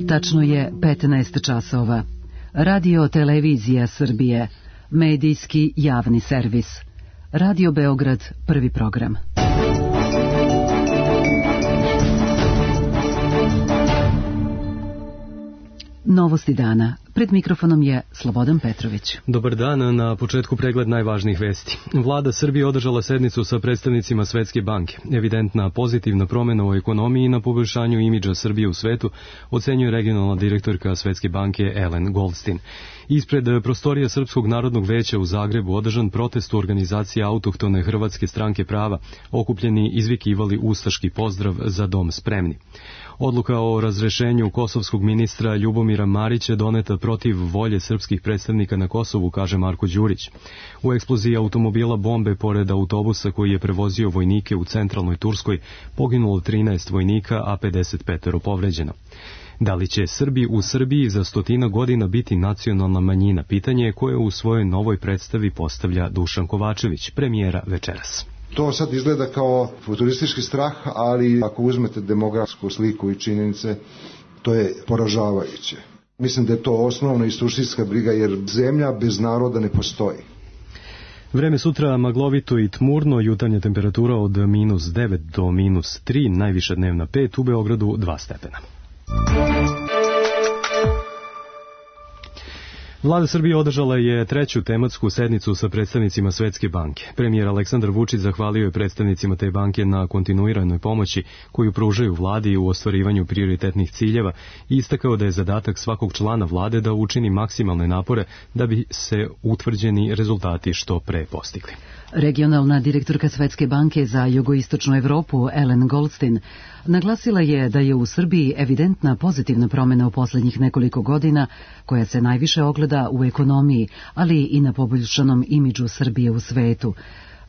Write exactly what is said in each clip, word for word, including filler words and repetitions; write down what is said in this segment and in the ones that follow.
Tačno je petnaest časova. Radio Televizija Srbije, medijski javni servis. Radio Beograd, prvi program. Novosti dana. Pred mikrofonom je Slobodan Petrović. Dobar dan, na početku pregled najvažnijih vesti. Vlada Srbije održala sednicu sa predstavnicima Svetske banke. Evidentna pozitivna promjena u ekonomiji i na poboljšanju imidža Srbije u svetu, ocenjuje regionalna direktorka Svetske banke Ellen Goldstein. Ispred prostorija Srpskog narodnog veća u Zagrebu održan protest u organizaciji autohtone Hrvatske stranke prava. Okupljeni izvikivali ustaški pozdrav za dom spremni. Odluka o razrešenju kosovskog ministra Ljubomira Marića doneta protiv volje srpskih predstavnika na Kosovu, kaže Marko Đurić. U eksploziji automobila bombe pored autobusa koji je prevozio vojnike u centralnoj Turskoj poginulo trinaest vojnika, a pedeset pet povređeno. Da li će Srbi u Srbiji za stotina godina biti nacionalna manjina? Pitanje je koje u svojoj novoj predstavi postavlja Dušan Kovačević, premijera večeras. To sad izgleda kao futuristički strah, ali ako uzmete demografsku sliku i činjenice, to je poražavajuće. Mislim da je to osnovna i suštinska briga, jer zemlja bez naroda ne postoji. Vreme sutra maglovito i tmurno, jutarnja temperatura od minus devet do minus tri, najviša dnevna pet, u Beogradu dva stepena. Vlada Srbije održala je treću tematsku sednicu sa predstavnicima Svetske banke. Premijer Aleksandar Vučić zahvalio je predstavnicima te banke na kontinuiranoj pomoći koju pružaju vladi u ostvarivanju prioritetnih ciljeva i istakao da je zadatak svakog člana vlade da učini maksimalne napore da bi se utvrđeni rezultati što pre postigli. Regionalna direktorka Svetske banke za jugoistočnu Evropu Ellen Goldstein naglasila je da je u Srbiji evidentna pozitivna promjena u posljednjih nekoliko godina koja se najviše ogleda u ekonomiji, ali i na poboljšanom imidžu Srbije u svetu.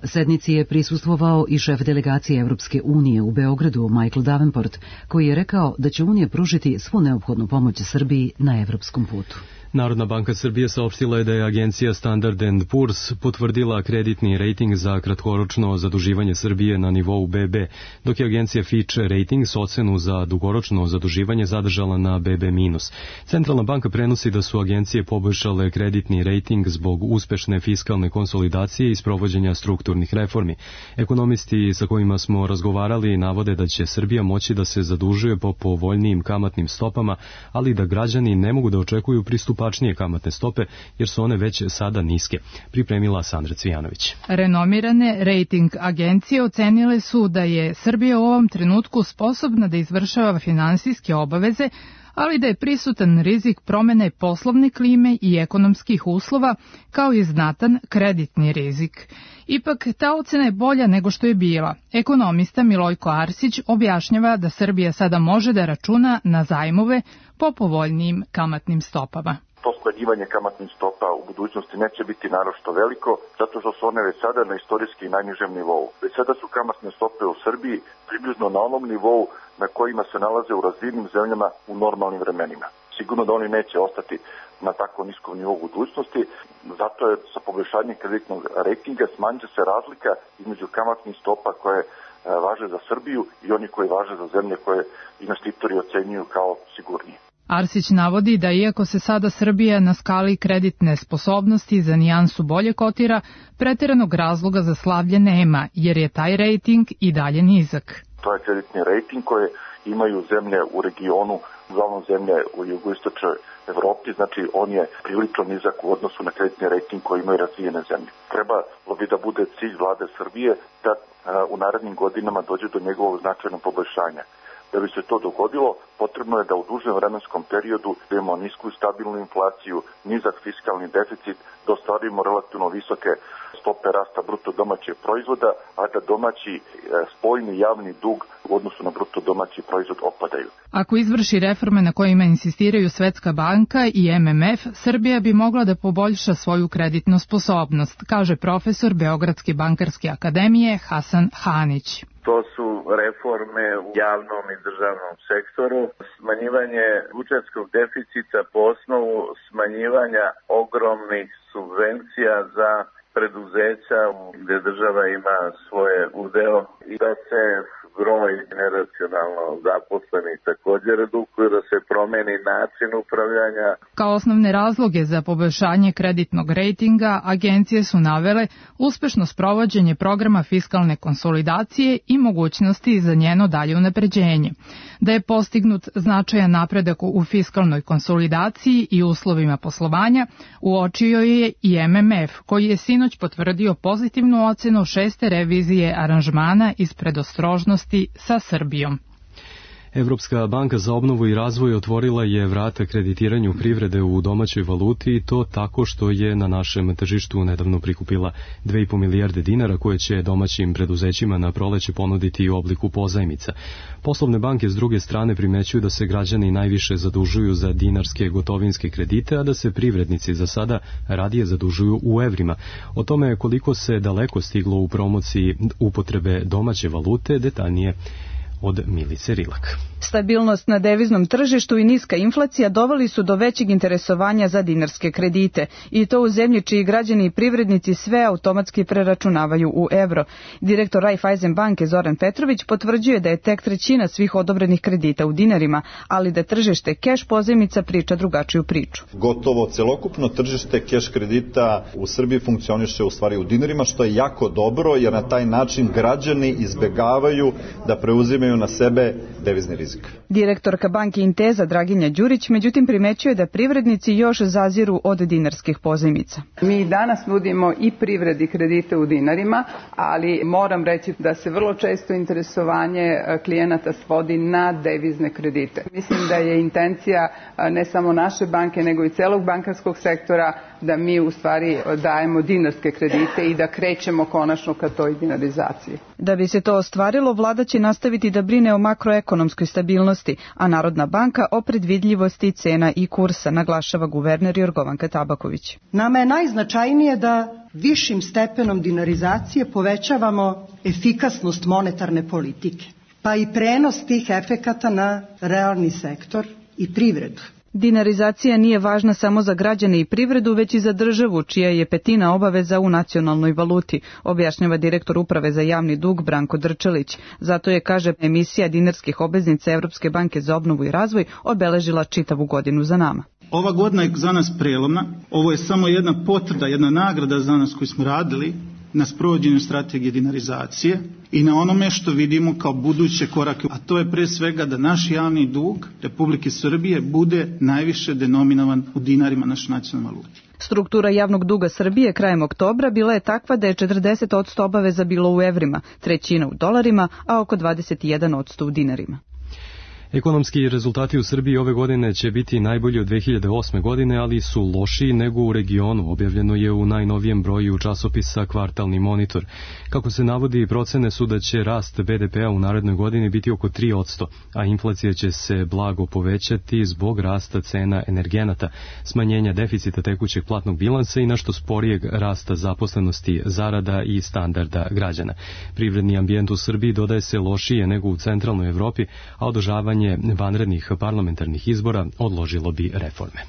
Sednici je prisustvovao i šef delegacije Evropske unije u Beogradu, Michael Davenport, koji je rekao da će Unija pružiti svu neophodnu pomoć Srbiji na evropskom putu. Narodna banka Srbije saopštila je da je agencija Standard and Poor's potvrdila kreditni rejting za kratkoročno zaduživanje Srbije na nivou be be, dok je agencija Fitch Ratings ocenu za dugoročno zaduživanje zadržala na be be minus. Centralna banka prenosi da su agencije poboljšale kreditni rejting zbog uspešne fiskalne konsolidacije i sprovođenja strukturnih reformi. Ekonomisti sa kojima smo razgovarali navode da će Srbija moći da se zadužuje po povoljnijim kamatnim stopama, ali da građani ne mogu da očekuju pristupačnije kamatne stope, jer su one već sada niske, pripremila Sandra Cvijanović. Renomirane rejting agencije ocenile su da je Srbija u ovom trenutku sposobna da izvršava finansijske obaveze, ali da je prisutan rizik promene poslovne klime i ekonomskih uslova, kao i znatan kreditni rizik. Ipak, ta ocena je bolja nego što je bila. Ekonomista Milojko Arsić objašnjava da Srbija sada može da računa na zajmove po povoljnijim kamatnim stopama. To smanjivanje kamatnih stopa u budućnosti neće biti naročito veliko, zato što su one već sada na istorijski najnižem nivou. Već sada su kamatne stope u Srbiji približno na onom nivou na kojima se nalaze u razvijenim zemljama u normalnim vremenima. Sigurno da oni neće ostati na tako niskom nivou budućnosti, zato je sa poboljšanjem kreditnog rejtinga smanjit se razlika između kamatnih stopa koje važe za Srbiju i oni koji važe za zemlje koje investitori ocenjuju kao sigurnije. Arsić navodi da iako se sada Srbija na skali kreditne sposobnosti za nijansu bolje kotira, pretjeranog razloga za slavlje nema, jer je taj rejting i dalje nizak. To je kreditni rejting koje imaju zemlje u regionu, uglavnom zemlje u jugoistočnoj Evropi, znači on je prilično nizak u odnosu na kreditni rejting koji imaju razvijene zemlje. Trebalo bi da bude cilj vlade Srbije da u narednim godinama dođe do njegovog značajnog poboljšanja. Da bi se to dogodilo, potrebno je da u dužem vremenskom periodu imamo nisku i stabilnu inflaciju, nizak fiskalni deficit, da ostvarimo relativno visoke stope rasta bruto domaćeg proizvoda, a da domaći spoljni javni dug u odnosu na bruto domaći proizvod opadaju. Ako izvrši reforme na kojima insistiraju Svetska banka i em em ef, Srbija bi mogla da poboljša svoju kreditnu sposobnost, kaže profesor Beogradske bankarske akademije Hasan Hanić. To su reforme u javnom i državnom sektoru, smanjivanje budžetskog deficita po osnovu smanjivanja ogromnih subvencija za preduzeća gdje država ima svoje udeo i da se broj neracionalno zaposlenih također redukuje, da se promeni način upravljanja. Kao osnovne razloge za poboljšanje kreditnog rejtinga agencije su navele uspešno sprovođenje programa fiskalne konsolidacije i mogućnosti za njeno dalje unapređenje. Da je postignut značajan napredak u fiskalnoj konsolidaciji i uslovima poslovanja, uočio je i M M F, koji je sinoć potvrdio pozitivnu ocenu šeste revizije aranžmana iz predostrožnosti sa Srbijom. Evropska banka za obnovu i razvoj otvorila je vrata kreditiranju privrede u domaćoj valuti i to tako što je na našem tržištu nedavno prikupila dve i po milijarde dinara koje će domaćim preduzećima na proleće ponuditi u obliku pozajmica. Poslovne banke s druge strane primećuju da se građani najviše zadužuju za dinarske gotovinske kredite, a da se privrednici za sada radije zadužuju u evrima. O tome koliko se daleko stiglo u promociji upotrebe domaće valute, detaljnije od Milice Rilak. Stabilnost na deviznom tržištu i niska inflacija doveli su do većeg interesovanja za dinarske kredite i to u zemlji čiji građani i privrednici sve automatski preračunavaju u evro. Direktor Raiffeisen banke Zoran Petrović potvrđuje da je tek trećina svih odobrenih kredita u dinarima, ali da tržište keš pozajmica priča drugačiju priču. Gotovo celokupno tržište keš kredita u Srbiji funkcioniše u stvari u dinarima, što je jako dobro jer na taj način građani izbegavaju da preuzimaju na sebe devizni rizik. Direktorka banke Inteza Draginja Đurić međutim primećuje da privrednici još zaziru od dinarskih pozajmica. Mi danas nudimo i privredi kredite u dinarima, ali moram reći da se vrlo često interesovanje klijenata svodi na devizne kredite. Mislim da je intencija ne samo naše banke nego i celog bankarskog sektora da mi u stvari dajemo dinarske kredite i da krećemo konačno ka toj dinarizaciji. Da bi se to ostvarilo, vlada će nastaviti da brine o makroekonomskoj stabilnosti, a Narodna banka o predvidljivosti cena i kursa, naglašava guverner Jorgovanka Tabaković. Nama je najznačajnije da višim stepenom dinarizacije povećavamo efikasnost monetarne politike, pa i prenos tih efekata na realni sektor i privredu. Dinarizacija nije važna samo za građane i privredu, već i za državu, čija je petina obaveza u nacionalnoj valuti, objašnjava direktor Uprave za javni dug Branko Drčelić. Zato je, kaže, emisija dinarskih obveznica Evropske banke za obnovu i razvoj obeležila čitavu godinu za nama. Ova godina je za nas prelomna. Ovo je samo jedna potvrda, jedna nagrada za nas koji smo radili na sprovođenju strategije dinarizacije i na onome što vidimo kao buduće korake, a to je pre svega da naš javni dug Republike Srbije bude najviše denominovan u dinarima naše nacionalne valute. Struktura javnog duga Srbije krajem oktobra bila je takva da je četrdeset posto obaveza bilo u evrima, trećina u dolarima, a oko dvadeset jedan posto u dinarima. Ekonomski rezultati u Srbiji ove godine će biti najbolji od dve hiljade osme. godine, ali su lošiji nego u regionu, objavljeno je u najnovijem broju časopisa Kvartalni monitor. Kako se navodi, procene su da će rast be de pea u narednoj godini biti oko tri posto, a inflacija će se blago povećati zbog rasta cena energenata, smanjenja deficita tekućeg platnog bilansa i nešto sporijeg rasta zaposlenosti, zarada i standarda građana. Privredni ambijent u Srbiji dodaje se lošije nego u centralnoj Evropi, a održavanje vanrednih parlamentarnih izbora odložilo bi reforme.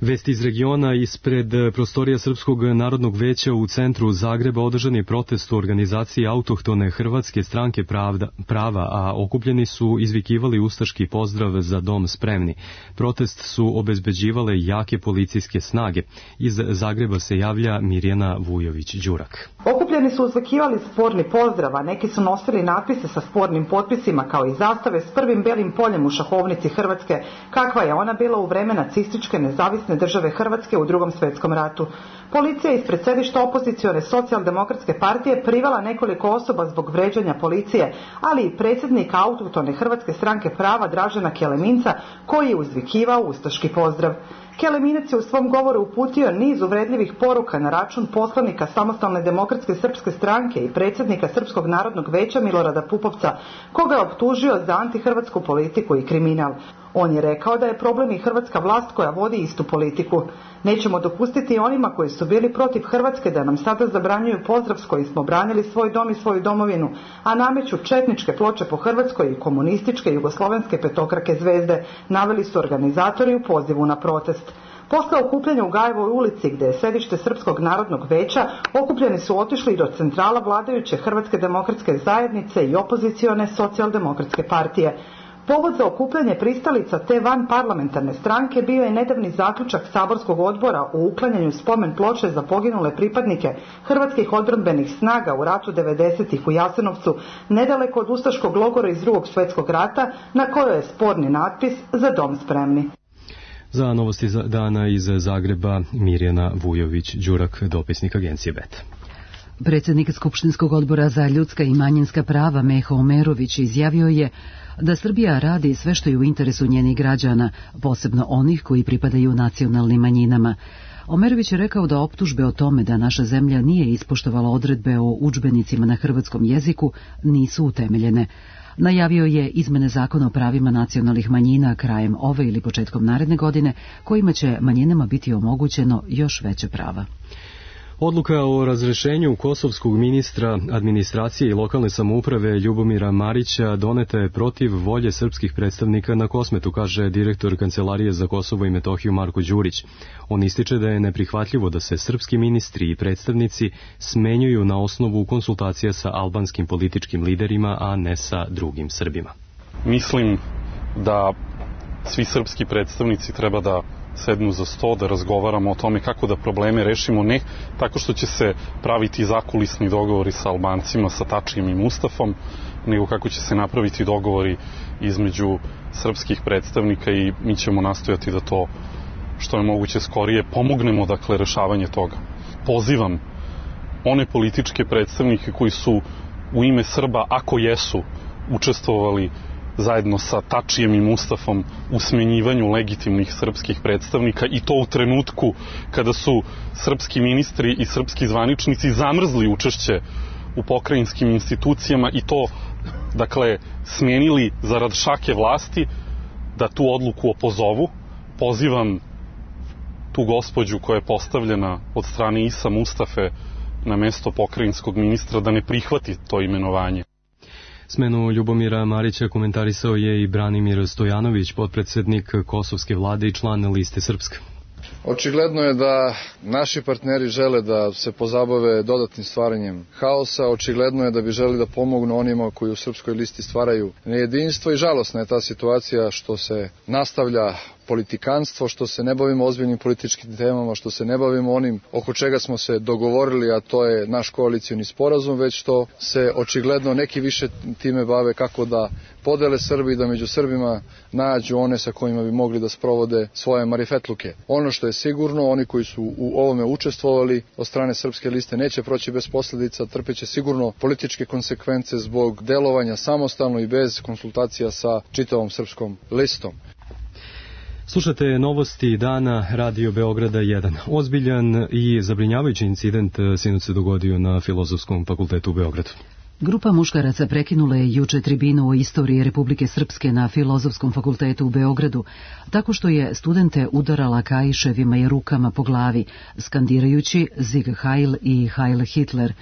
Vesti iz regiona. Ispred prostorija Srpskog narodnog veća u centru Zagreba održan je protest u organizaciji autohtone Hrvatske stranke pravda, prava, a okupljeni su izvikivali ustaški pozdrav za dom spremni. Protest su obezbeđivale jake policijske snage. Iz Zagreba se javlja Mirjana Vujović-Đurak. Okupljeni su uzvikivali sporni pozdrav, a neki su nosili natpise sa spornim potpisima kao i zastave s prvim belim poljem u šahovnici Hrvatske, kakva je ona bila u vreme nacističke nezavisne države Hrvatske u Drugom svjetskom ratu. Policija je ispred sedišta opozicione socijaldemokratske partije privela nekoliko osoba zbog vređanja policije, ali i predsjednika autohtone Hrvatske stranke prava Dražena Keleminca, koji je uzvikivao ustaški pozdrav. Keleminac je u svom govoru uputio niz uvredljivih poruka na račun poslanika Samostalne demokratske srpske stranke i predsjednika Srpskog narodnog veća Milorada Pupovca, koga je optužio za antihrvatsku politiku i kriminal. On je rekao da je problem i hrvatska vlast koja vodi istu politiku. Nećemo dopustiti onima koji su bili protiv Hrvatske da nam sada zabranjuju pozdrav s kojim smo branili svoj dom i svoju domovinu, a nameću četničke ploče po Hrvatskoj i komunističke jugoslovenske petokrake zvezde, naveli su organizatori u pozivu na protest. Posle okupljanja u Gajevoj ulici, gde je sedište Srpskog narodnog veća, okupljeni su otišli do centrala vladajuće Hrvatske demokratske zajednice i opozicione socijaldemokratske partije. Povod za okupljanje pristalica te van parlamentarne stranke bio je nedavni zaključak Saborskog odbora o uklanjanju spomen ploče za poginule pripadnike hrvatskih odbrambenih snaga u ratu devedesetih u Jasenovcu, nedaleko od ustaškog logora iz Drugog svjetskog rata, na kojoj je sporni natpis "Za dom spremni". Za novosti dana iz Zagreba, Mirjana Vujović-Đurak, dopisnik agencije B E T. Predsjednik Skupštinskog odbora za ljudska i manjinska prava Meho Omerović izjavio je da Srbija radi sve što je u interesu njenih građana, posebno onih koji pripadaju nacionalnim manjinama. Omerović je rekao da optužbe o tome da naša zemlja nije ispoštovala odredbe o udžbenicima na hrvatskom jeziku nisu utemeljene. Najavio je izmene zakona o pravima nacionalnih manjina krajem ove ili početkom naredne godine, kojima će manjinama biti omogućeno još veće prava. Odluka o razrešenju kosovskog ministra administracije i lokalne samouprave Ljubomira Marića doneta je protiv volje srpskih predstavnika na Kosmetu, kaže direktor Kancelarije za Kosovo i Metohiju Marko Đurić. On ističe da je neprihvatljivo da se srpski ministri i predstavnici smenjuju na osnovu konsultacija sa albanskim političkim liderima, a ne sa drugim Srbima. Mislim da svi srpski predstavnici treba da sednu za sto, da razgovaramo o tome kako da probleme rešimo, ne tako što će se praviti zakulisni dogovori sa Albancima, sa Tačijem i Mustafom, nego kako će se napraviti dogovori između srpskih predstavnika i mi ćemo nastojati da to što je moguće skorije pomognemo, dakle, rešavanje toga. Pozivam one političke predstavnike koji su u ime Srba, ako jesu, učestvovali zajedno sa Tačijem i Mustafom u smenjivanju legitimnih srpskih predstavnika, i to u trenutku kada su srpski ministri i srpski zvaničnici zamrzli učešće u pokrajinskim institucijama i to, dakle, smenili zarad šake vlasti, da tu odluku opozovu. Pozivam tu gospođu koja je postavljena od strane Isa Mustafe na mesto pokrajinskog ministra da ne prihvati to imenovanje. Smenu Ljubomira Marića komentarisao je i Branimir Stojanović, potpredsednik kosovske vlade i član Liste Srpska. Očigledno je da naši partneri žele da se pozabave dodatnim stvaranjem haosa, očigledno je da bi želi da pomognu onima koji u Srpskoj listi stvaraju nejedinstvo i žalosna je ta situacija što se nastavlja politikanstvo, što se ne bavimo ozbiljnim političkim temama, što se ne bavimo onim oko čega smo se dogovorili, a to je naš koalicioni sporazum, već što se očigledno neki više time bave kako da podele Srbi i da među Srbima nađu one sa kojima bi mogli da sprovode svoje marifetluke. Ono što je sigurno, oni koji su u ovome učestvovali od strane Srpske liste neće proći bez posledica, trpeće sigurno političke konsekvence zbog delovanja samostalno i bez konsultacija sa čitavom Srpskom listom. Slušate novosti dana Radio Beograda jedan. Ozbiljan i zabrinjavajući incident sinoć se dogodio na Filozofskom fakultetu u Beogradu. Grupa muškaraca prekinula je juče tribinu o istoriji Republike Srpske na Filozofskom fakultetu u Beogradu, tako što je studente udarala kaiševima i rukama po glavi, skandirajući Sieg Heil i Heil Hitler.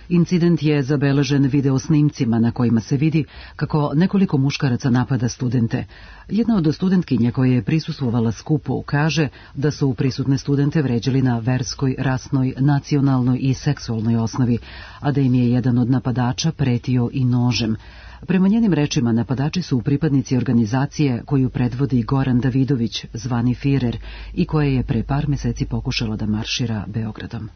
Incident je zabeležen video snimcima na kojima se vidi kako nekoliko muškaraca napada studente. Jedna od studentkinja koja je prisustvovala skupu kaže da su prisutne studente vređali na verskoj, rasnoj, nacionalnoj i seksualnoj osnovi, a da im je jedan od napadača pretio i nožem. Prema njenim rečima, napadači su pripadnici organizacije koju predvodi Goran Davidović, zvani Firer, i koja je pre par meseci pokušala da maršira Beogradom.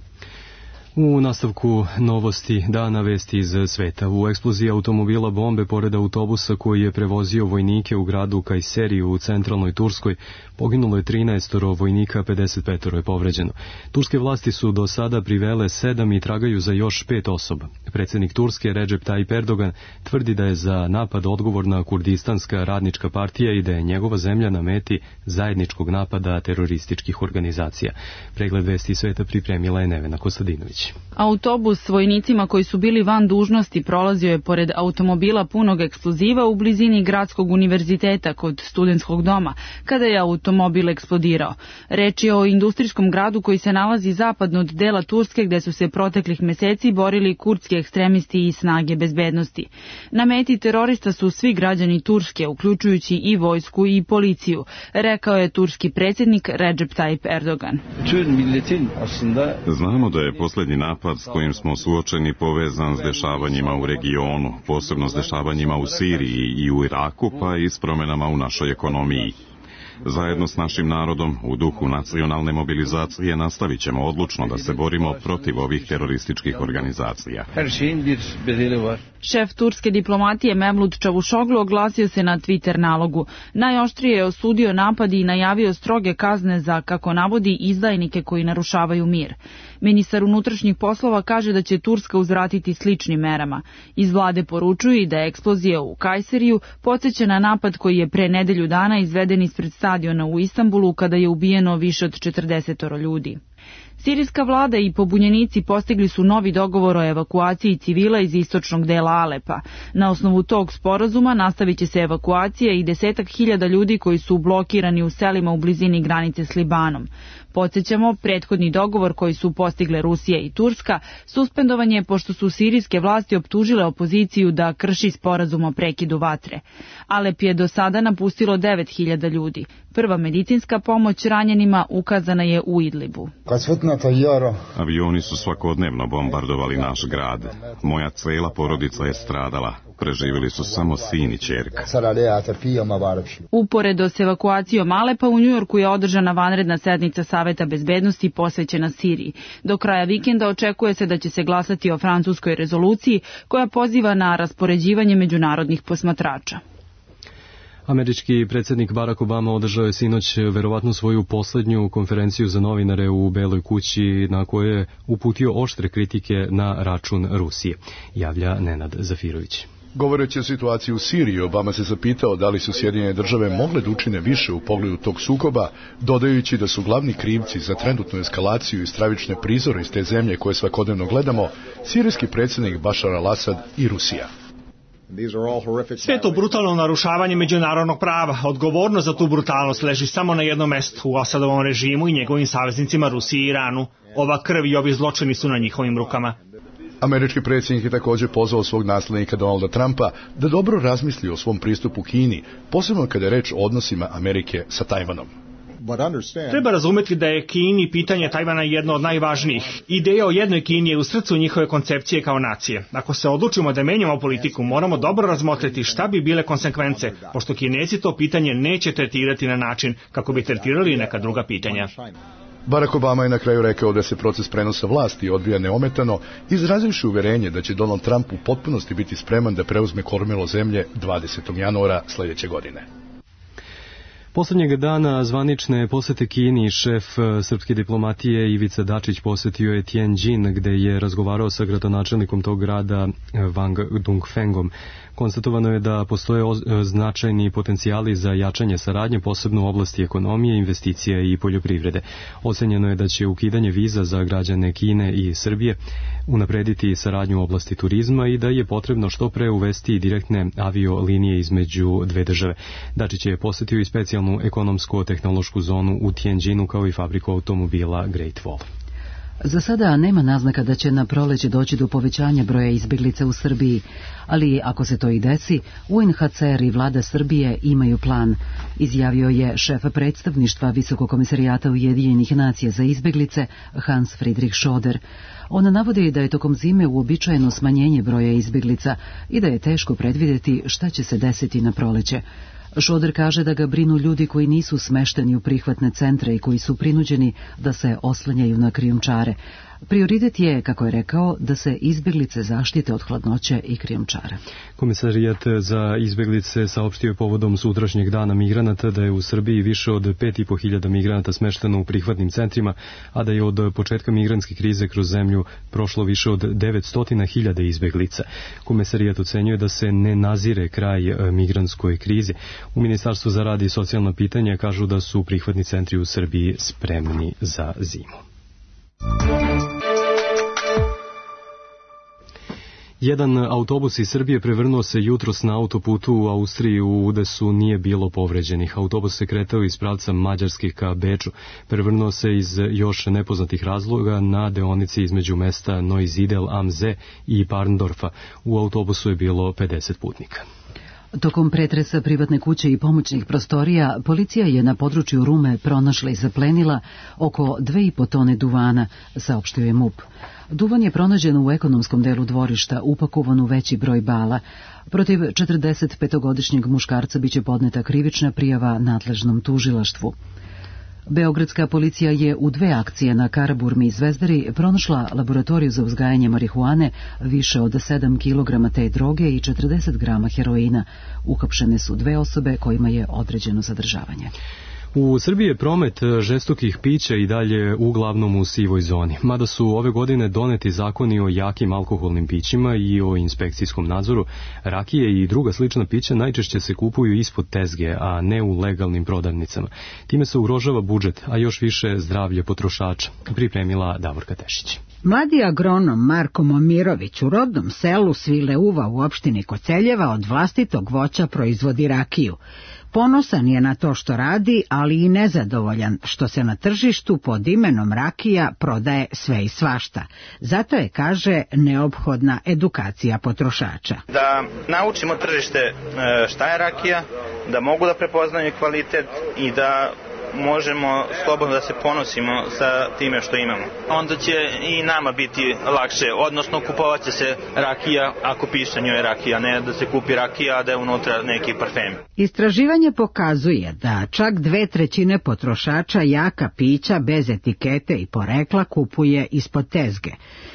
U nastavku novosti dana, vesti iz sveta. U eksploziji automobila bombe pored autobusa koji je prevozio vojnike u gradu Kajseriju u centralnoj Turskoj poginulo je trinaest vojnika, pedeset pet je povređeno. Turske vlasti su do sada privele sedam i tragaju za još pet osoba. Predsjednik Turske Recep Tayyip Erdogan tvrdi da je za napad odgovorna Kurdistanska radnička partija i da je njegova zemlja na meti zajedničkog napada terorističkih organizacija. Pregled vesti sveta pripremila je Nevena Kostadinović. Zafirović. Autobus s vojnicima koji su bili van dužnosti prolazio je pored automobila punog eksploziva u blizini Gradskog univerziteta kod studentskog doma, kada je automobil eksplodirao. Reč je o industrijskom gradu koji se nalazi zapadno od dela Turske, gde su se proteklih meseci borili kurdski ekstremisti i snage bezbednosti. Na meti terorista su svi građani Turske, uključujući i vojsku i policiju, rekao je turski predsjednik Recep Tayyip Erdogan. Znamo da je posljednji napad s kojim smo suočeni povezan s dešavanjima u regionu, posebno s dešavanjima u Siriji i u Iraku, pa i s promjenama u našoj ekonomiji. Zajedno s našim narodom, u duhu nacionalne mobilizacije, nastavit ćemo odlučno da se borimo protiv ovih terorističkih organizacija. Šef turske diplomatije Mevlut Čavuşoglu oglasio se na Twitter nalogu. Najoštrije je osudio napad i najavio stroge kazne za, kako navodi, izdajnike koji narušavaju mir. Ministar unutrašnjih poslova kaže da će Turska uzvratiti sličnim merama. Iz vlade poručuju i da je eksplozija u Kajseriju podsjeća na napad koji je pre nedelju dana izveden ispred stadiona u Istanbulu kada je ubijeno više od četrdeset ljudi. Sirijska vlada i pobunjenici postigli su novi dogovor o evakuaciji civila iz istočnog dela Alepa. Na osnovu tog sporazuma nastavit će se evakuacija i desetak hiljada ljudi koji su blokirani u selima u blizini granice s Libanom. Podsjećamo, prethodni dogovor koji su postigle Rusija i Turska suspendovan je pošto su sirijske vlasti optužile opoziciju da krši sporazum o prekidu vatre. Alep je do sada napustilo devet hiljada ljudi. Prva medicinska pomoć ranjenima ukazana je u Idlibu. Avioni su svakodnevno bombardovali naš grad. Moja cela porodica je stradala. Preživjeli su samo sin i ćerka. Uporedo s evakuacijom Alepa, u Njujorku je održana vanredna sednica Saveta bezbednosti posvećena Siriji. Do kraja vikenda očekuje se da će se glasati o francuskoj rezoluciji koja poziva na raspoređivanje međunarodnih posmatrača. Američki predsjednik Barack Obama održao je sinoć verovatno svoju posljednju konferenciju za novinare u Beloj kući, na kojoj je uputio oštre kritike na račun Rusije, javlja Nenad Zafirović. Govoreći o situaciji u Siriji, Obama se zapitao da li su Sjedinjene države mogle da učine više u pogledu tog sukoba, dodajući da su glavni krivci za trenutnu eskalaciju i stravične prizore iz te zemlje koje svakodnevno gledamo, sirijski predsjednik Bašar al-Asad i Rusija. Sve je to brutalno narušavanje međunarodnog prava. Odgovornost za tu brutalnost leži samo na jednom mestu, u Asadovom režimu i njegovim saveznicima Rusiji i Iranu. Ova krv i ovi zločini su na njihovim rukama. Američki predsjednik je također pozvao svog naslednika Donalda Trumpa da dobro razmisli o svom pristupu Kini, posebno kada je reč o odnosima Amerike sa Tajvanom. Treba razumjeti da je Kini pitanje Tajvana jedno od najvažnijih. Ideja o jednoj Kini je u srcu njihove koncepcije kao nacije. Ako se odlučimo da menjamo politiku, moramo dobro razmotriti šta bi bile konsekvence, pošto Kinezi to pitanje neće tretirati na način kako bi tretirali neka druga pitanja. Barack Obama je na kraju rekao da se proces prenosa vlasti odvija neometano, izrazivši uverenje da će Donald Trump u potpunosti biti spreman da preuzme kormilo zemlje dvadesetog januara sljedeće godine. Posljednjeg dana zvanične posete Kini šef srpske diplomatije Ivica Dačić posjetio je Tianjin, gde je razgovarao sa gradonačelnikom tog grada Wang Dongfengom. Konstatovano je da postoje značajni potencijali za jačanje saradnje, posebno u oblasti ekonomije, investicija i poljoprivrede. Ocenjeno je da će ukidanje viza za građane Kine i Srbije unaprediti saradnju u oblasti turizma i da je potrebno što pre uvesti direktne avio linije između dve države. Dačić je posjetio i specijalnu ekonomsko-tehnološku zonu u Tianjinu kao i fabriku automobila Great Wall. Za sada nema naznaka da će na proleće doći do povećanja broja izbjeglica u Srbiji, ali ako se to i desi, U N H C R i vlada Srbije imaju plan, izjavio je šef predstavništva Visokog komisarijata Ujedinjenih nacija za izbjeglice Hans Friedrich Schoder. On navodi da je tokom zime uobičajeno smanjenje broja izbjeglica i da je teško predvidjeti šta će se desiti na proleće. Šoder kaže da ga brinu ljudi koji nisu smešteni u prihvatne centre i koji su prinuđeni da se oslanjaju na krijumčare. Prioritet je, kako je rekao, da se izbjeglice zaštite od hladnoće i krijumčara. Komisarijat za izbjeglice saopštio je povodom sutrašnjeg dana migranata da je u Srbiji više od pet i po hiljada migranata smešteno u prihvatnim centrima, a da je od početka migrantske krize kroz zemlju prošlo više od devetsto hiljada izbjeglica. Komisarijat ocenjuje da se ne nazire kraj migrantskoj krizi. U Ministarstvu za rad i socijalna pitanja kažu da su prihvatni centri u Srbiji spremni za zimu. Jedan autobus iz Srbije prevrnuo se jutros na autoputu u Austriji. U udesu nije bilo povređenih. Autobus se kretao iz pravca Mađarskih ka Beču. Prevrnuo se iz još nepoznatih razloga na deonici između mesta Neusiedl am See i Parndorfa. U autobusu je bilo pedeset putnika. Tokom pretresa privatne kuće i pomoćnih prostorija, policija je na području Rume pronašla i zaplenila oko dve i po tone duvana, saopštio je MUP. Duvan je pronađen u ekonomskom delu dvorišta, upakovan u veći broj bala. Protiv četrdesetpetogodišnjeg muškarca biće podneta krivična prijava nadležnom tužilaštvu. Beogradska policija je u dve akcije na Karaburmi i Zvezdari pronašla laboratoriju za uzgajanje marihuane, više od sedam kilograma te droge i četrdeset grama heroina. Uhapšene su dve osobe kojima je određeno zadržavanje. U Srbiji je promet žestokih pića i dalje uglavnom u sivoj zoni, mada su ove godine doneti zakoni o jakim alkoholnim pićima i o inspekcijskom nadzoru. Rakije i druga slična pića najčešće se kupuju ispod tezge, a ne u legalnim prodavnicama. Time se ugrožava budžet, a još više zdravlje potrošača, pripremila Davorka Tešić. Mladi agronom Marko Momirović u rodnom selu Svileuva u opštini Koceljeva od vlastitog voća proizvodi rakiju. Ponosan je na to što radi, ali i nezadovoljan što se na tržištu pod imenom rakija prodaje sve i svašta. Zato je, kaže, neophodna edukacija potrošača. Da naučimo tržište šta je rakija, da mogu da prepoznaju kvalitet i da možemo slobodno da se ponosimo sa time što imamo. Onda će i nama biti lakše, odnosno kupovat će se rakija ako piše njoj rakija, ne da se kupi rakija, a da je unutra neki parfem. Istraživanje pokazuje da čak dve trećine potrošača jaka pića bez etikete i porekla kupuje ispod tezge.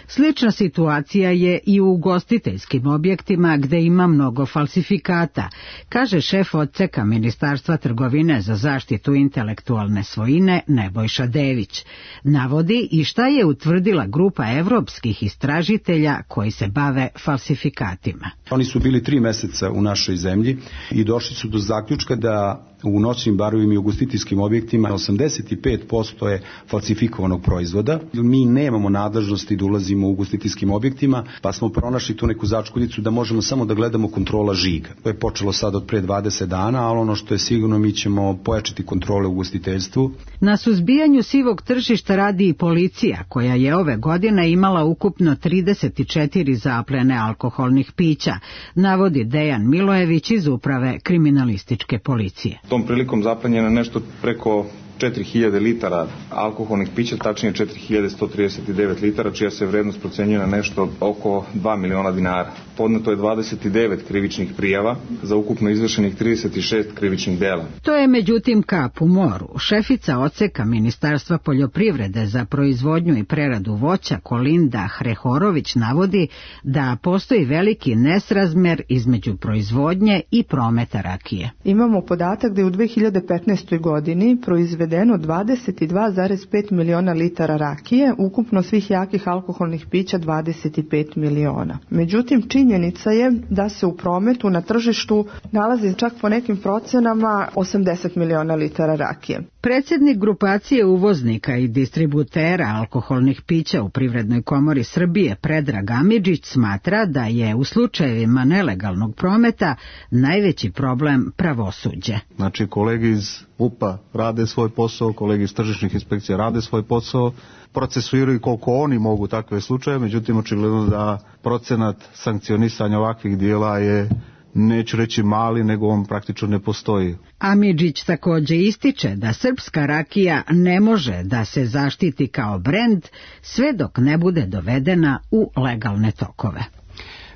Slična situacija je i u ugostiteljskim objektima gde ima mnogo falsifikata, kaže šef odseka Ministarstva trgovine za zaštitu intelektualne svojine Nebojša Dević. Navodi i šta je utvrdila grupa evropskih istražitelja koji se bave falsifikatima. Oni su bili tri meseca u našoj zemlji i došli su do zaključka da u noćnim barovima i ugostiteljskim objektima osamdeset pet posto je falsifikovanog proizvoda. Mi nemamo nadležnosti da ulazimo u ugostiteljskim objektima, pa smo pronašli tu neku začkoljicu da možemo samo da gledamo kontrola žiga. To je počelo sad od pre dvadeset dana, ali ono što je sigurno, mi ćemo pojačati kontrole u ugostiteljstvu. Na suzbijanju sivog tržišta radi i policija, koja je ove godine imala ukupno trideset četiri zaplene alkoholnih pića, navodi Dejan Milojević iz uprave kriminalističke policije. Tom prilikom zaplenjeno nešto preko četiri hiljade litara alkoholnih pića, tačnije četiri hiljade sto trideset devet litara, čija se vrednost procenjuje na nešto oko dva miliona dinara. Podneto je dvadeset devet krivičnih prijava za ukupno izvršenih trideset šest krivičnih dela. To je međutim kap u moru. Šefica odseka Ministarstva poljoprivrede za proizvodnju i preradu voća Kolinda Hrehorović navodi da postoji veliki nesrazmer između proizvodnje i prometa rakije. Imamo podatak da je u dve hiljade petnaestoj godini proizvedeno dvadeset dva zarez pet miliona litara rakije, ukupno svih jakih alkoholnih pića dvadeset pet miliona. Međutim, činjenica je da se u prometu na tržištu nalazi čak po nekim procenama osamdeset miliona litara rakije. Predsjednik grupacije uvoznika i distributera alkoholnih pića u Privrednoj komori Srbije Predrag Amidžić smatra da je u slučajevima nelegalnog prometa najveći problem pravosuđe. Znači, kolege iz U P A rade svoj posao, kolege iz tržišnih inspekcija rade svoj posao, procesuiraju koliko oni mogu takve slučaje, međutim očigledno da procenat sankcionisanja ovakvih dijela je, neću reći mali, nego on praktično ne postoji. Amidžić također ističe da srpska rakija ne može da se zaštiti kao brend sve dok ne bude dovedena u legalne tokove.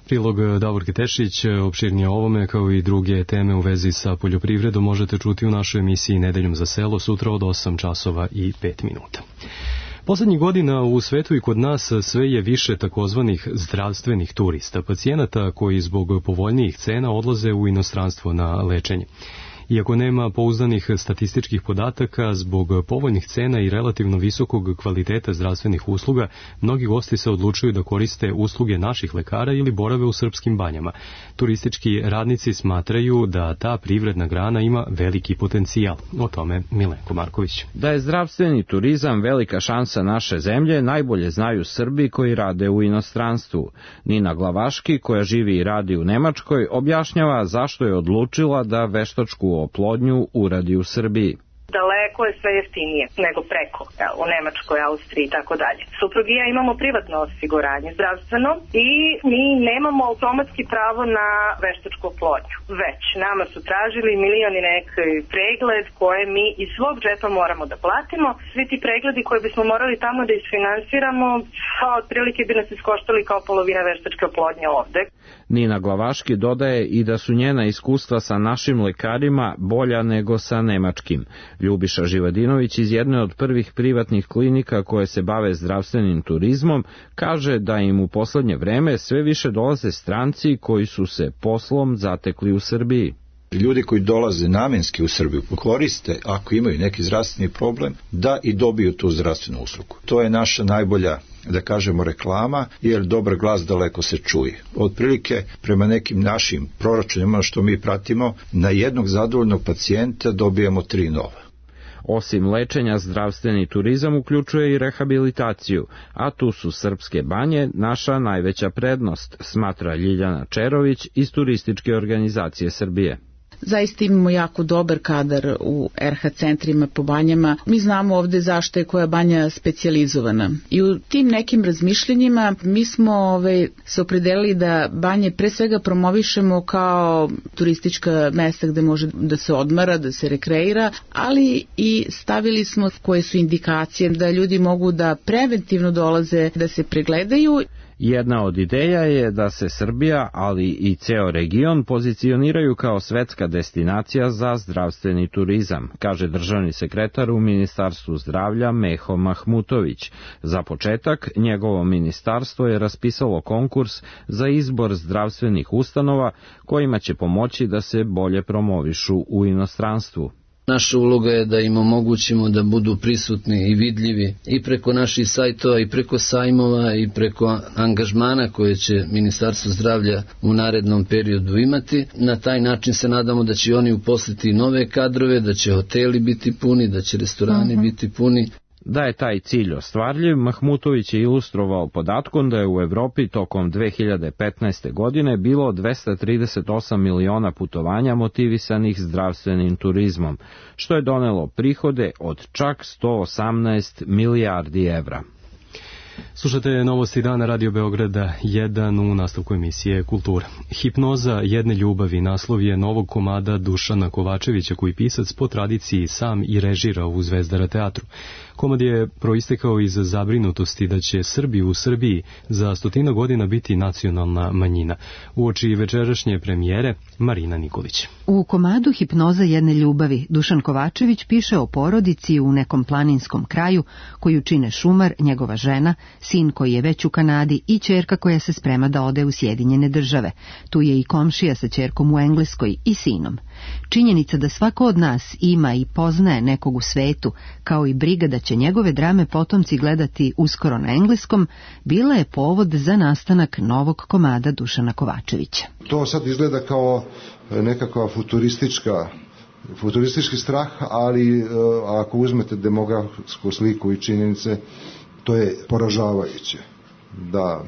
Prilog Davorke Tešić, opširnije o ovome kao i druge teme u vezi sa poljoprivredom možete čuti u našoj emisiji Nedeljom za selo sutra od osam časova i pet minuta. Poslednjih godina u svetu i kod nas sve je više takozvanih zdravstvenih turista, pacijenata koji zbog povoljnijih cena odlaze u inostranstvo na lečenje. Iako nema pouzdanih statističkih podataka, zbog povoljnih cena i relativno visokog kvaliteta zdravstvenih usluga, mnogi gosti se odlučuju da koriste usluge naših lekara ili borave u srpskim banjama. Turistički radnici smatraju da ta privredna grana ima veliki potencijal. O tome Milenko Marković. Da je zdravstveni turizam velika šansa naše zemlje, najbolje znaju Srbi koji rade u inostranstvu. Nina Glavaški, koja živi i radi u Nemačkoj, objašnjava zašto je odlučila da veštačku oplodnju uradi u Srbiji. Daleko je sve jeftinije nego preko, jel, u Nemačkoj, Austriji i tako dalje. Suprug i ja imamo privatno osiguranje zdravstveno i mi nemamo automatski pravo na veštačku oplodnju. Već nama su tražili milion i neki pregled koje mi iz svog džepa moramo da platimo. Svi ti pregledi koje bismo morali tamo da isfinansiramo, a otprilike bi nas iskoštali kao polovina veštačke oplodnje ovde. Nina Glavaški dodaje i da su njena iskustva sa našim lekarima bolja nego sa nemačkim. Ljubiša Živadinović iz jedne od prvih privatnih klinika koje se bave zdravstvenim turizmom kaže da im u poslednje vreme sve više dolaze stranci koji su se poslom zatekli u Srbiji. Ljudi koji dolaze namenski u Srbiju koriste, ako imaju neki zdravstveni problem, da i dobiju tu zdravstvenu uslugu. To je naša najbolja, da kažemo, reklama, jer dobar glas daleko se čuje. Otprilike, prema nekim našim proračunima što mi pratimo, na jednog zadovoljnog pacijenta dobijamo tri nova. Osim lečenja, zdravstveni turizam uključuje i rehabilitaciju, a tu su srpske banje naša najveća prednost, smatra Ljiljana Čerović iz Turističke organizacije Srbije. Zaista imamo jako dobar kadar u er ha centrima po banjama. Mi znamo ovde zašto je koja banja specijalizovana. I u tim nekim razmišljenjima mi smo ove, se opredelili da banje pre svega promovišemo kao turistička mesta gde može da se odmara, da se rekreira, ali i stavili smo koje su indikacije da ljudi mogu da preventivno dolaze da se pregledaju. Jedna od ideja je da se Srbija, ali i ceo region pozicioniraju kao svetska destinacija za zdravstveni turizam, kaže državni sekretar u Ministarstvu zdravlja Meho Mahmutović. Za početak, njegovo ministarstvo je raspisalo konkurs za izbor zdravstvenih ustanova kojima će pomoći da se bolje promovišu u inostranstvu. Naša uloga je da im omogućimo da budu prisutni i vidljivi i preko naših sajtova i preko sajmova i preko angažmana koje će Ministarstvo zdravlja u narednom periodu imati. Na taj način se nadamo da će oni uposliti nove kadrove, da će hoteli biti puni, da će restorani uh-huh. biti puni. Da je taj cilj ostvarljiv, Mahmutović je ilustrovao podatkom da je u Evropi tokom dve hiljade petnaeste. godine bilo dvesta trideset osam miliona putovanja motivisanih zdravstvenim turizmom, što je donelo prihode od čak sto osamnaest milijardi evra. Slušate novosti dana Radio Beograda jedan u nastavku emisije Kultura. Hipnoza jedne ljubavi naslov je novog komada Dušana Kovačevića koji pisac po tradiciji sam i režira u Zvezdara teatru. Komad je proistekao iz zabrinutosti da će Srbi u Srbiji za stotina godina biti nacionalna manjina. Uoči večerašnje premijere Marina Nikolić. U komadu Hipnoza jedne ljubavi Dušan Kovačević piše o porodici u nekom planinskom kraju koju čine šumar, njegova žena, sin koji je već u Kanadi i ćerka koja se sprema da ode u Sjedinjene države. Tu je i komšija sa ćerkom u Engleskoj i sinom. Činjenica da svako od nas ima i poznaje nekog u svetu, kao i briga da će njegove drame potomci gledati uskoro na engleskom, bila je povod za nastanak novog komada Dušana Kovačevića. To sad izgleda kao nekakva futuristička futuristički strah, ali ako uzmete demografsku sliku i činjenice, to je poražavajuće da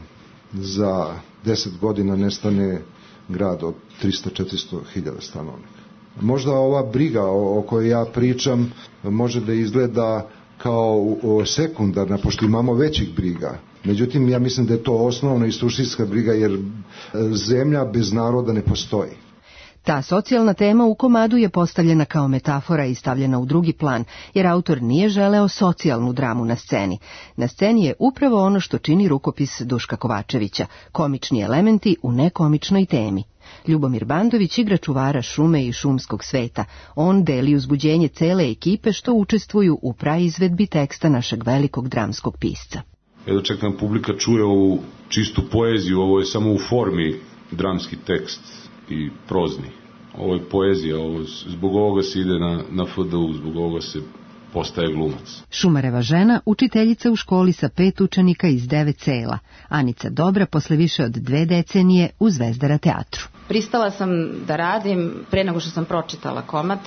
za deset godina nestane grad od trista do četiristo hiljada stanovnika. Možda ova briga o kojoj ja pričam može da izgleda kao sekundarna, pošto imamo većih briga. Međutim, ja mislim da je to osnovna i suštinska briga, jer zemlja bez naroda ne postoji. Ta socijalna tema u komadu je postavljena kao metafora i stavljena u drugi plan, jer autor nije želeo socijalnu dramu na sceni. Na sceni je upravo ono što čini rukopis Duška Kovačevića, komični elementi u nekomičnoj temi. Ljubomir Bandović igra čuvara šume i šumskog sveta. On deli uzbuđenje cele ekipe što učestvuju u praizvedbi teksta našeg velikog dramskog pisca. Edo čak nam publika čuje ovu čistu poeziju, ovo je samo u formi dramski tekst i prozni. ovo je poezija, ovo, zbog ovoga se ide na, na F D U, zbog ovoga se postaje glumac. Šumareva žena, učiteljica u školi sa pet učenika iz devet sela. Anica Dobra posle više od dve decenije u Zvezdara teatru. Pristala sam da radim pre nego što sam pročitala komad.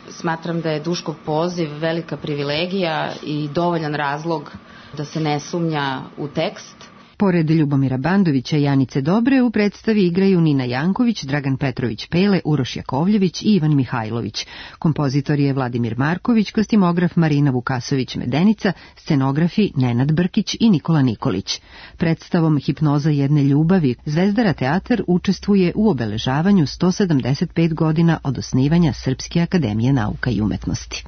Smatram da je Duškov poziv velika privilegija i dovoljan razlog da se ne sumnja u tekst. Pored Ljubomira Bandovića i Anice Dobre u predstavi igraju Nina Janković, Dragan Petrović Pele, Uroš Jakovljević i Ivan Mihajlović. Kompozitor je Vladimir Marković, kostimograf Marina Vukasović-Medenica, scenografi Nenad Brkić i Nikola Nikolić. Predstavom Hipnoza jedne ljubavi Zvezdara teatar učestvuje u obeležavanju sto sedamdeset pet godina od osnivanja Srpske akademije nauka i umetnosti.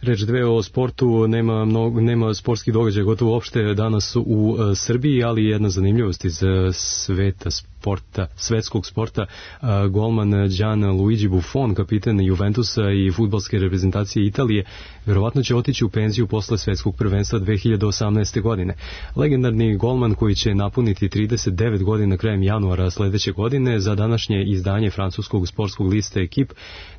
Reč dve o sportu, nema, mnogo, nema sportskih događaja gotovo uopšte danas u uh, Srbiji, ali jedna zanimljivost iz uh, sveta sporta, svetskog sporta, uh, golman Gianluigi Buffon, kapiten Juventusa i fudbalske reprezentacije Italije, verovatno će otići u penziju posle svetskog prvenstva dve hiljade osamnaeste. godine. Legendarni golman koji će napuniti trideset devet godina krajem januara sledeće godine, za današnje izdanje francuskog sportskog lista Ekip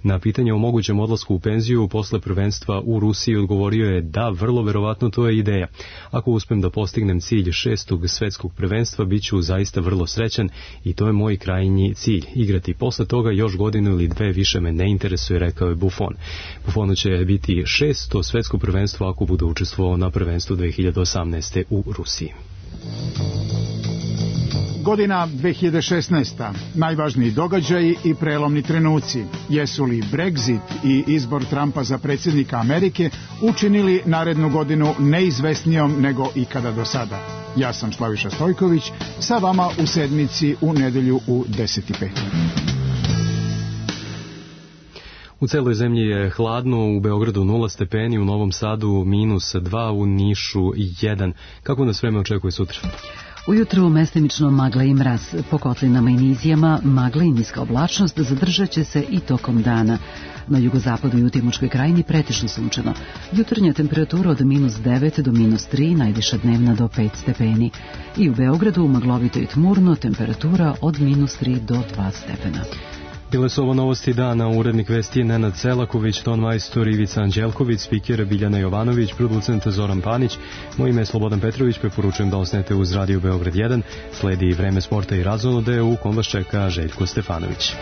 na pitanje o mogućem odlasku u penziju posle prvenstva u Rusiji odgovorio je da, vrlo verovatno to je ideja. Ako uspem da postignem cilj šestog svetskog prvenstva, bit ću zaista vrlo srećan i to je moj krajnji cilj. Igrati posle toga još godinu ili dve više me ne interesuje, rekao je Buffon. Buffonu će biti šesto svetsko prvenstvo ako bude učestvovao na prvenstvu dve hiljade osamnaeste. u Rusiji. Godina dve hiljade šesnaesta. Najvažniji događaji i prelomni trenuci. Jesu li Brexit i izbor Trumpa za predsjednika Amerike učinili narednu godinu neizvesnijom nego ikada do sada? Ja sam Slaviša Stojković, sa vama u sedmici u nedelju u deset i pet. U celoj zemlji je hladno, u Beogradu nula stepeni, u Novom Sadu minus dva, u Nišu jedan. Kako nas vreme očekuje sutra? Ujutro mestimično magla i mraz, po kotlinama i nizijama magla i niska oblačnost zadržat će se i tokom dana. Na jugozapadu i u Timočkoj krajini pretežno sunčano. Jutarnja temperatura od minus devet do minus tri, najviša dnevna do pet stepeni. I u Beogradu maglovito i tmurno, temperatura od minus tri do dva stepena. Bile su ovo novosti dana, urednik vesti Nenad Selaković, ton majstor Ivica Anđelković, spiker Biljana Jovanović, producent Zoran Panić, moje ime je Slobodan Petrović, preporučujem da osnete uz Radio Beograd jedan, sledi vreme sporta i razonode, u kom vas čeka Željko Stefanović.